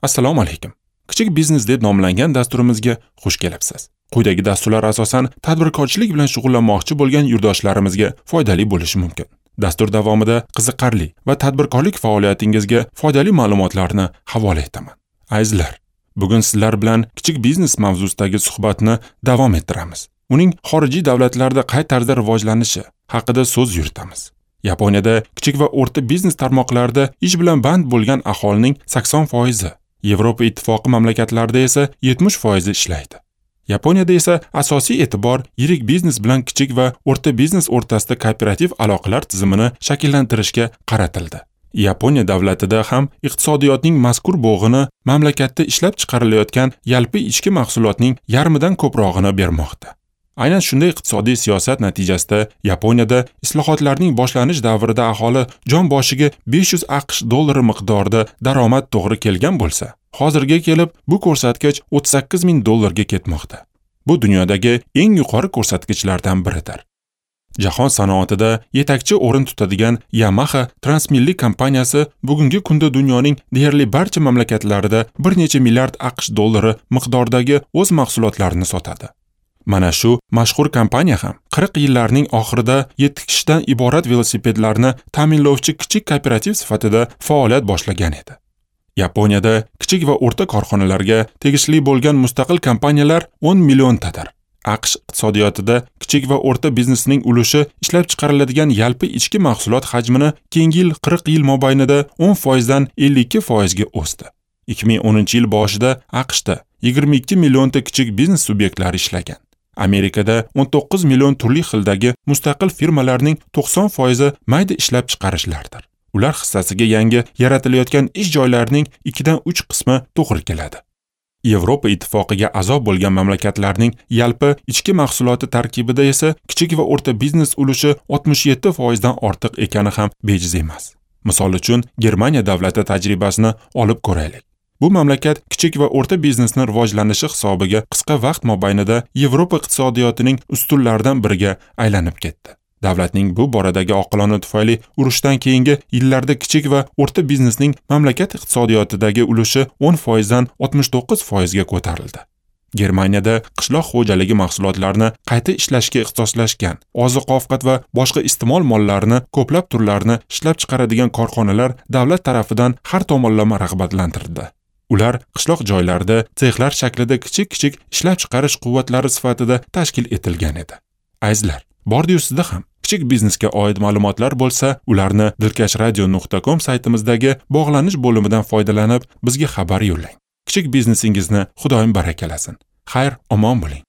Assalomu alaykum. Kichik biznes deb nomlangan dasturimizga xush kelibsiz. Quyidagi dasturlar asosan tadbirkorchilik bilan shug'ullanmoqchi bo'lgan yurtdoshlarimizga foydali bo'lishi mumkin. Dastur davomida qiziqarli va tadbirkorlik faoliyatingizga foydali ma'lumotlarni havola etaman. Azizlar, bugun sizlar bilan kichik biznes mavzusidagi suhbatni davom ettiramiz. Uning xorijiy davlatlarda qay tarzda rivojlanishi haqida so'z yuritamiz. Yaponiyada kichik va o'rta biznes tarmoqlarida ish bilan band bo'lgan aholining 80%, Yevropa Ittifoqi mamlakatlarida esa 70% ishlaydi. Yaponiyada esa asosiy e'tibor yirik biznes bilan kichik va o'rta biznes o'rtasida kooperativ aloqalar tizimini shakllantirishga qaratildi. Yaponiya davlatida ham iqtisodiyotning mazkur bo'g'ini mamlakatda ishlab chiqarilayotgan yalpi ichki mahsulotning yarmidan ko'prog'ini bermoqda. Aynan shunday iqtisodiy siyosat natijasida Yaponiyada islohotlarning boshlanish davrida aholi jon boshiga 500 AQSh dollari miqdorida daromad to'g'ri kelgan bo'lsa, hozirga kelib bu ko'rsatkich 38 ming dollarga ketmoqda. Bu dunyodagi eng yuqori ko'rsatkichlardan biridir. Jahon sanoatida yetakchi o'rin tutadigan Yamaha transmilliy kompaniyasi bugungi kunda dunyoning deyarli barcha mamlakatlarida bir necha milliard AQSh dollari miqdoridagi o'z mahsulotlarini sotadi. Mana shu mashhur kompaniya ham 40 yillarning oxirida 7 kishidan iborat velosipedlarni ta'minlovchi kichik kooperativ sifatida faoliyat boshlagan edi. Yaponiyada kichik va o'rta korxonalarga tegishli bo'lgan mustaqil kompaniyalar 10 milliontadir. AQSh iqtisodiyotida kichik va o'rta biznesning ulushi ishlab chiqariladigan yalpi ichki mahsulot hajmini keyingi yil 40 yil mobaynida 10% dan 52% ga o'sdi. 2010-yil boshida AQShda 22 millionta kichik biznes subyektlari ishlagan. Amerikada 19 million turli xildagi mustaqil firmalarning 90% mayda ishlab chiqarishlardir. Ular hissasiga yangi yaratilayotgan ish joylarining 2 dan 3 qismi to'g'ri keladi. Yevropa Ittifoqiga a'zo bo'lgan mamlakatlarning yalpi ichki mahsuloti tarkibida esa kichik va o'rta biznes ulushi 67% dan ortiq ekani ham bejiz emas. Misol uchun, Germaniya davlati tajribasini olib ko'raylik. Bu mamlakat kichik va o'rta biznesni rivojlanishi hisobiga qisqa vaqt mobaynida Yevropa iqtisodiyotining ustunlaridan biriga aylanib ketdi. Davlatning bu boradagi oqilona tufayli urushdan keyingi yillarda kichik va o'rta biznesning mamlakat iqtisodiyotidagi ulushi 10% dan 69% ga ko'tarildi. Germaniyada qishloq xo'jaligi mahsulotlarini qayta ishlashga ixtisoslashgan, oziq-ovqat va boshqa iste'mol mollarini ko'plab turlarini ishlab chiqaradigan korxonalar davlat tarafidan har tomonlama rag'batlantirildi. Ular qishloq joylarida sexlar shaklida kichik-kichik ishlab chiqarish quvvatlari sifatida tashkil etilgan edi. Azizlar, bordi-yu sizda ham kichik biznesga oid ma'lumotlar bo'lsa, ularni dilkashradio.com saytimizdagi bog'lanish bo'limidan foydalanib bizga xabar yo'llang. Kichik biznesingizni Xudoyim barakalasin. Xayr, omon bo'ling.